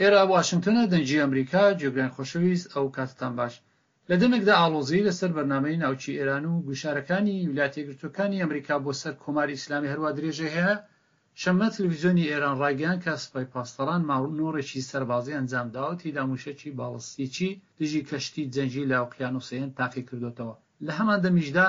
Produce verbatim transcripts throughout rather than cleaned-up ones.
ئێرە واشنگتنە، دەنگی ئەمریکا، گوێگرانی خۆشەویست، ئەو کاتتان باش. لە دەمێکدا ئاڵۆزی لەسەر بەرنامەی ناوکی ئێران و گوشارەکانی ویلایەتە یەکگرتووەکانی ئەمریکا بۆ سەر کۆماری ئیسلامی هەروا درێژەی هەیە، شەممە تلویزیۆنی ئێران ڕایگەیاند کە سپای پاسداران مانۆڕێکی سەربازی ئەنجام داوە و تێیدا مووشەکی باڵستیکی دژی کەشتی جەنگی لە ئۆقیانووسی هێند تاقی کردۆتەوە. لە هەمان دەمیشدا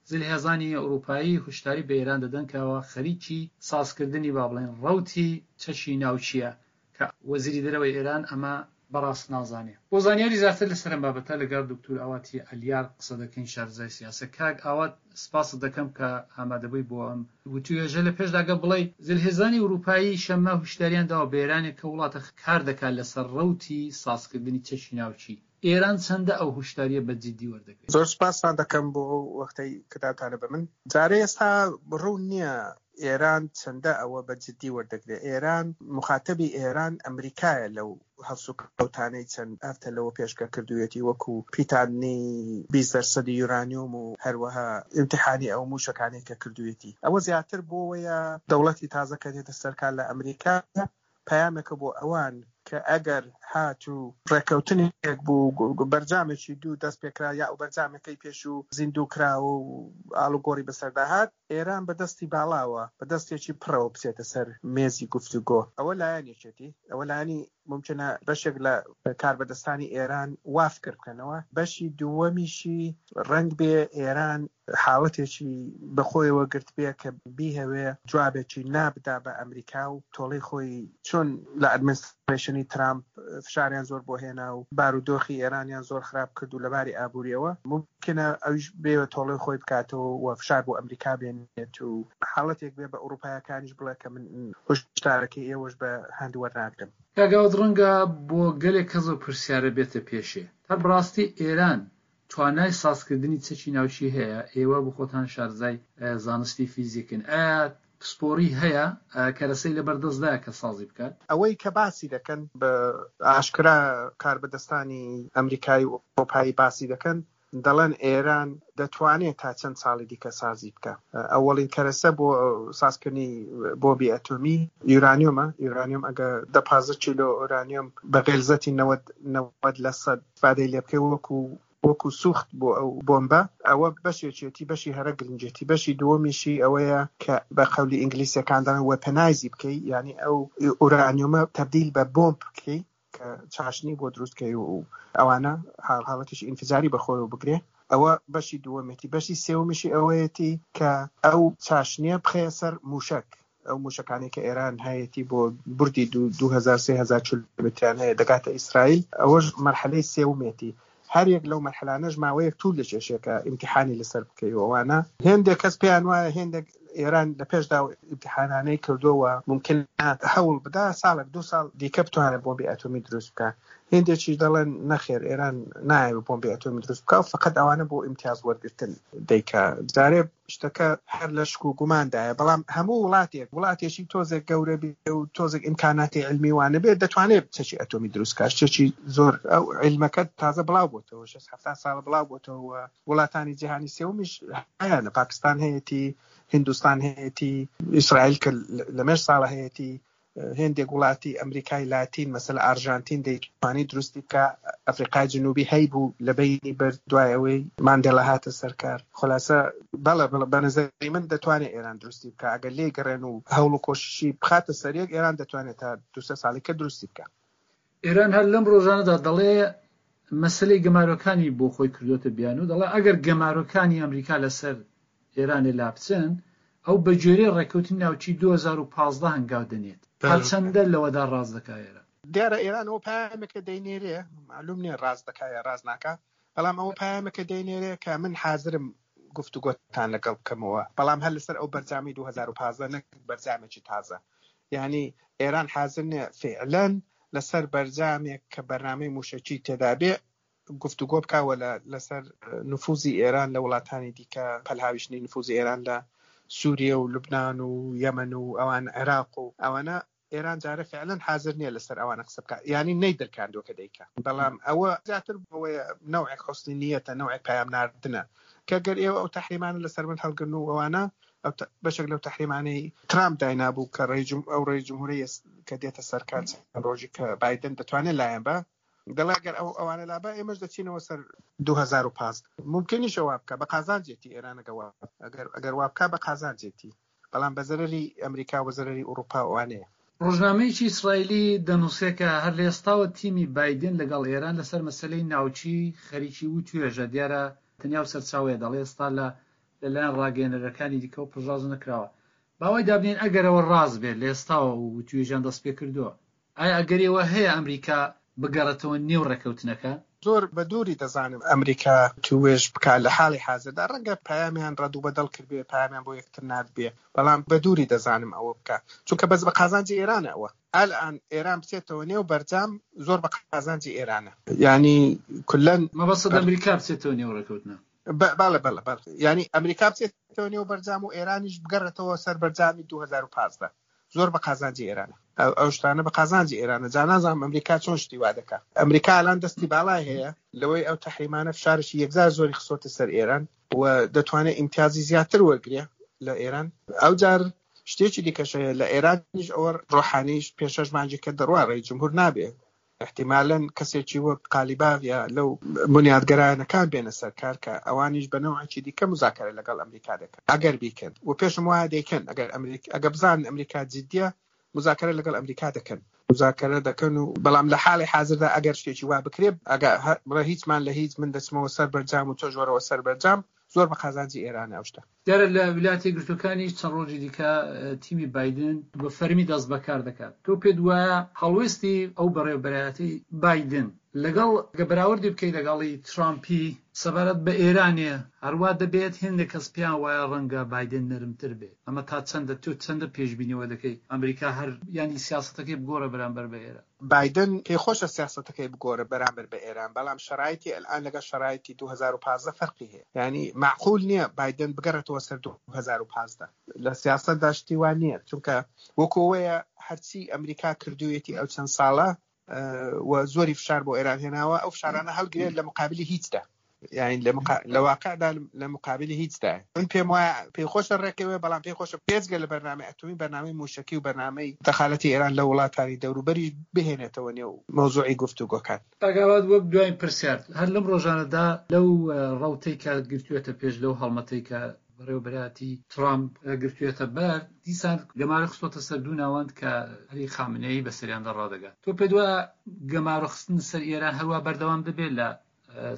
زلهێزانی ئەوروپایی هوشداری بە ئێران دەدەن کە ئەوە خەریکی سازکردنی با بڵێن ڕەوتی چەکی ناوکییە کە وەزیری دەرەوەی ئێران ئەمە بەڕاست نازانێ. بۆ زانیاری زیاتر لەسەر ئەم بابەتە لەگەڵ دکتور ئاواتی عەلیار قسە دەکەین، شارەزای سیاسە. کاک ئاوات، سپاست دەکەم کە ئامادەبووی بۆ ئەم وتوێژە. لە پێشدا گە بڵێی زلهێزانی ئەوروپایی شەممە هوشداریان داوە بە ئێرانێک کە وڵاتە کار دەکات لەسەر ڕەوتی سازکردنی چەکی ناوکی. ئێران چەندە ئەو هوشداریە بە جدی وەردەگرێت؟ زۆر سپاستان دەکەم بۆ ئەو وەختەی کە داوتانە بە من. جارێ ئێستا ڕوون نییە ئێران چەندە ئەوە بە جدی وەردەگرێت. ئێران مخاتبی ئێران ئەمریکایە لەو هەڵسوکەوتانەی چەند هەفتە لەوە پێشکە کردوویەتی، وەکو پیتاندنی بیست دەرسەدی یورانیۆم و هەروەها ئیمتیحانی ئەو موشەکانەی کە کردوویەتی. ئەوە زیاتر بۆوەیە دەوڵەتی تازە کە دێتە سەرکار لە ئەمریکا پەیامێکە بۆ ئەوان کە ئەگەر هاتوو ڕێککەوتنێک بوو، بەرجامێکی دوو دەست پێکرا یا ئەو بەرجامەکەی پێشوو زیندوو کراوە و ئاڵوگۆڕی بەسەردا هات، ئێران بە دەستی باڵاوە، بە دەستێکی پڕەوە بچێتە سەر مێزی گفتوگۆ. ئەوە لایەنێکێتی، ئەوە لایەنی ممکنە بەشێک لە کاربەدەستانی ئێران وا فکر بکەنەوە. بەشی دووەمیشی ڕەنگ بێ ئێران حاڵەتێکی بەخۆیەوە گرت بێ کە بیهەوێ جوابێکی نابدا بە ئەمریکا و تۆڵەی خۆی، چۆن لە ئەدمنسترەیشنی ترامپ فشاریان زۆر بۆ هێنا و بارودۆخی ئێرانیان زۆر خراپ کرد و لەباری ئابووریەوە، ممکنە ئەویش بێوە تۆڵەی خۆی بکاتەوە و فشار بۆ ئەمریکا بێنێت و حاڵەتێک بێ بە ئەوروپایەکانیش بڵێ کە من هۆشدارەکەی ئێوەش بە هەند وەرناگرم. کاک ئاوات، ڕەنگە بۆ گەلێک کەس ئەو پرسیارە بێتە پێشێ، تا بەڕاستی ئێران توانای سازکردنی چەکی ناوکی هەیە؟ ئێوە بۆ خۆتان شارەزای زانستی فیزیکن، ئایا پسپۆڕی هەیە کەرەسەی لەبەردەستدایە کە سازی بکات؟ ئەوەی کە باسی دەکەن بە ئاشکرا کاربەدەستانی ئەمریکایی و ئەوروپایی باسی دەکەن، دەڵێن ئێران دەتوانێت تا چەند ساڵی دیکە سازی بکە. ئەوەڵین کەرەسە بۆ سازکردنی بۆمبی ئەتۆمی یورانیۆمە. یورانیۆم ئەگە دە پازدە کیلۆ ئۆرانیۆم بە غێلزەتی نەوەد نەوەد لە سەد ئیسفادەی لێ بکەی وەکو وەکو سوخت بۆ ئەو بۆمبە، ئەوە بەشێکێتی، بەشی هەرە گرنگێتی. بەشی دووەمیشی ئەوەیە کە بە قەولی ئینگلیسیەکان دەڵێن وێپنایزی بکەی، یعنی ئەو ئورانیۆمە تەبدیل بە بۆمب بکەی کە چاشنی بۆ دروست کەی و ئەوانە حاڵەتێکی ئینفجاری بەخۆیەوە بگرێ. ئەوە بەشی دووەمێتی. بەشی سێوەمیشی ئەوەیەتی کە ئەو چاشنیە بخەیە سەر موشەک، ئەو موشەکانەی کە ئێران هەیەتی بۆ بردی دوو هەزار سێ هەزار کیلۆمەتریان هەیە دەگاتە ئیسرائیل. ئەوەش مەرحەلەی سێومێتی. هەر یەک لەو مەرحەلانەش ماوەیەک طول دەکێشێ کە ئیمتیحانی لەسەر بکەی و ئەوانە. هێندێک کەس پێیان وایە هێندێک ئێران لە پێشدا ئیمتیحانانەی کردووە، ممکنە هەوڵ بدا ساڵێک دوو ساڵ دیکە بتوانێت بۆمبی ئەتۆمی دروست بکا. هێندێکیش دەڵێن نەخێر ئێران نایەوێت بۆمبی ئەتۆمی دروست بکا و فقط ئەوانە بۆ ئیمتیاز وەرگرتن دەیکا. جارێ شتەکە هەر لە شک و گوماندایە، بەڵام هەموو وڵاتێک وڵاتێکی تۆزێک گەورە بێ و تۆزێک ئیمکاناتی علمی وانە بێت دەتوانێت چەکی ئەتۆمی دروست بکات. شتێکی زۆر ئەو علمەکە تازە بڵاو بۆتەوە، شەست حەفتا ساڵە بڵاو بۆتەوە. وڵاتانی جیهانی سێومیش هەیانە، پاکستان هەیەتی، هندوستان هەیەتی، ئیسرائیل کە لە مێژ ساڵە هەیەتی، هێندێک وڵاتی ئەمریکای لاتین مەسەلە ئارژانتین دەیتوانی دروستی بکە، ئەفریقای جنوبی هەیبوو لە بەینی برد دوای ئەوەی ماندێلا هاتە سەرکار. خلاصە بەڵێ بەڵێ بە نظری من دەتوانێت ئێران دروستی بکە ئەگەر لێی گەڕێن و هەوڵ و کۆششی بخاتە سەریەک، ئێران دەتوانێت تا دوو سێ ساڵی کە دروستی بکە. ئێران هەر لەم ڕۆژانەدا دەڵێ مەسلەی گەمارۆکانی بۆ خۆی کردوتە بیان و دەڵێ ئەگەر گەمارۆکانی ئەمریکا لەسەر ئێرانێ لابچن، ئەو بە گوێرەی ڕێککەوتنی ناوچی دوو هەزار و پازدە هەنگاو دەنێت. تا چەندە لەوەدا ڕاست دەکا ئێران؟ دیارە ئێران ئەوە پەیامێکە دەینێرێ، معلوم نییە ڕاست دەکا یا ڕاست ناکا، بەڵام ئەوە پەیامێکە دەینێرێ کە من حازرم گفتوگۆتان لەگەڵ بکەمەوە، بەڵام هەر لەسەر ئەو بەرجامی دوو هەزار و پازدە نەک بەرجامێکی تازە. یعنی ئێران حازر نییە فعلاً لەسەر بەرجامێک کە بەرنامەی موشەکی تێدا بێ گفتوگۆ بکاوە لەسەر نفوزی ئێران لە وڵاتانی دیکە، پەلهاویشتنی نفوزی ئێران لە سووریە و لوبناان و یەمەن و ئەوان عێراق و ئەوانە. ئێران جارە فعلاً حاضر نییە لەسەر ئەوانە قسە بکات، یعنی نەیدرکاندووە کە دەیکا. بەڵام ئەوە زیاتر بەوەیە نەوعێک حوسنی نیەتە، نەوعێک پەیام ناردنە کە گەر ئێوە ئەو تەحریمانە لەسەر من هەڵگرن و ئەوانە، بەشێک لەو تەحریمانەی ترامپ داینابوو کە ئەو ڕێی جمهوری کە دێتە سەرکار چەند ڕۆژی کە بایدن دەتوانێت لایەن بە، دەڵێ ئەگەر ئەو ئەوانە لابا ئێمەش دەچینەوە سەر دوو هەزار و پازدە. ممکنیشە وا بکە بە قازانجێتی ئێران، ئەگەر ئەگەر وا بکە بە قازانجێتی، بەڵام بە زەرەری ئەمریکا و بە زەرەری ئەوروپا ئەوانەیە. ڕۆژنامەیەکی ئیسرائیلی دەنووسێ کە هەر لە ئێستاوە تیمی بایدن لەگەڵ ئێران لەسەر مەسلەی ناوچی خەریکی وتوێژە. دیارە تەنیا و سەرچاوەیە دەڵێ ئێستا لە لەلایەن ڕاگەیەنەرەکانی دیکەوە پشتڕاست نەکراوە. باوای دابنین ئەگەرەوە ڕاست بێت لە ئێستاوە وتوێژیان دەست پێ کردووە، ئایا ئەگەرەوە هەیە ئەمریکا بگەڕێتەوە نێو ڕێککەوتنەکە؟ زۆر بە دووری دەزانم ئەمریکا توێژ بکا لە حاڵی حازردا. ڕەنگە پەیامیان ڕەد و بەدەڵ کردبێ، پەیامیان بۆ یەکتر ناردبێ، بەڵام بە دووری دەزانم ئەوە بکا، چونکە بەس بە قازانجی ئێرانە. ئەوە ئەلئان ئێران بچێتەوە نێو بەرجام زۆر بە قازانجی ئێرانە، یعنی کلەن مەبەست ئەمریکا بچێتەوە نێو ڕێککەوتنە. بەڵێ بەڵێ بەڵێ، یعنی ئەمریکا بچێتەوە نێو بەرجام و ئێرانیش بگەڕێتەوە سەر بەرجامی دوو هەزار و پازدە زۆر بە قازانجی ئێرانە. ئەو شتانە بە قازانجی ئێرانە. جا نازانم ئەمریکا چۆن شتی وا دەکا. ئەمریکا الان دەستی باڵای هەیە لەوەی ئەو تەحریمانە فشارشی یەکجار زۆری خستۆتە سەر ئێران و دەتوانێت ئیمتیازی زیاتر وەرگێ لە ئێران. ئەو جار شتێکی دیکەش هەیە لە ئێرانیش، ئەوە ڕۆحانیش پێنج شەش مانگی کە دەڕوا ڕێی جمهور نابێ، احتیمالاً کەسێکی وەک قالیباف یا لەو بنیادگەرایانەکان بێنە سەر کار کە ئەوانیش بە نەوعێکی دیکە مزاکرە لەگەڵ ئەمریکا دەکەن ئەگەر بیکەن، و پێشم وایە دەیکەن. ئەگەر ئەمریکا ئەگەر بزانن ئەمریکا جدیە مزاکرە لەگەڵ ئەمریکا دەکەن، مزاکرە دەکەن و بەڵام لە حاڵی حاضردا ئەگەر شتێکی وا بکرێ، ئەگەر بڵێ هیچمان لە هیچ، من دەچمەوە سەر بەرجام و تۆش وەرەوە سەر بەرجام، زۆر بە قازانجی ئێرانە ئەو شتە. دیارە لە ویلایەتی یەکگرتووەکانیش چەند ڕۆژی دیکە تیمی بایدن بە فەرمی دەست بەکار دەکات. تۆ پێت وایە هەڵوێستی ئەو بەڕێوەبەرایەتی بایدن لەگەڵ گە بەراوردی بکەیت لەگەڵی ترامپی سەبارەت بە ئێرانێ هەروە دەبێت هێندێک کەس پێیان وایە ڕەنگە بایدن نەرمتر بێت. ئەمە تا چەندە تۆ چەندە پێشبینیەوە دەکەی ئەمریکا هەر ینی سیاسەتەکەی بگۆڕە بەرامبەر بە ئێران؟ بایدن پێخۆشە سیاسەتەکەی بگۆڕە بەرامبەر بە ئێران، بەڵام شەرایتی الان لەگەڵ شەرایتی دوو هەزار و پازدە فەرقی هەیە. یعنی معقول نییە بایدن بگەڕێتەوە سەر دوو هەزار و پازدە. لە سیاسەتدا شتی وا نییە، چونکە وەکو ئەوەیە هەرچی ئەمریکا کردوویەتی ئەو چەند ساڵە و زۆری فشار بۆ ئێران هێناوە، ئەو فشارانە هەڵگرێت لە مقابلی هیچدا، یعنی لە واقعدا لە مقابلی هیچدا. من پێم وایە پێی خۆشە ڕێکەوێ، بەڵام پێی خۆشە پێچگە لە بەرنامەی ئەتۆمی، بەرنامەی موشکی و بەرنامەی دەخالەتی ئێران لە وڵاتانی دەوروبەری بهێنێتەوە نێو مەوزوعی گفتوگۆکان. ئاگاوات وەک دوایین پرسیار، هەر لەم ڕۆژانەدا لەو ڕەوتەی کە گرتوێتە پێش، لەو هەڵمەتەی کە بەڕێوەبەرایەتی ترامپ گرتوێتە بەر، دیسان گەمارە خستۆتە سەر دوو ناوەند کە عەلی خامنەیی بەسەریاندا ڕادەگات. تۆ پێت وایە گەمارە خستن سەر ئێران هەروە بەردەوام دەبێت لە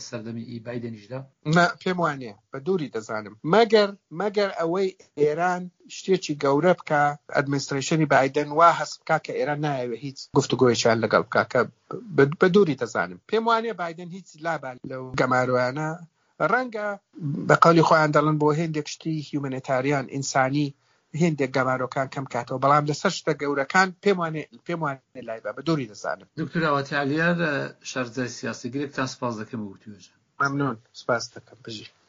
سەردەمی ئی بایدنیشدا؟ نا، پێم وانییە، بە دووری دەزانم. مەگەر مەگەر ئەوەی ئێران شتێکی گەورە بکە، ئەدمنسترەیشنی بایدن وا هەست بکا کە ئێران نایەوێت هیچ گفتوگۆیەکیان لەگەڵ بکا، کە بە دووری دەزانم. پێم وانییە بایدن هیچ لابا لەو گەمارۆیانە. ڕەنگە بە قەولی خۆیان دەڵێن بۆ هێندێک شتی هیومانیتاریان ئینسانی هێندێک گەمارۆکان کەم کاتەوە، بەڵام لەسەر شتە گەورەکان پێم وانێ پێم وانێ لای بە، بە دووری دەزانم. دکتۆر ئاواتی عەلیار، شارەزای سیاسی، گرێکتان سپاس دەکەم بۆ وتوێژە. مەمنون، سپاس دەکەم. بژی.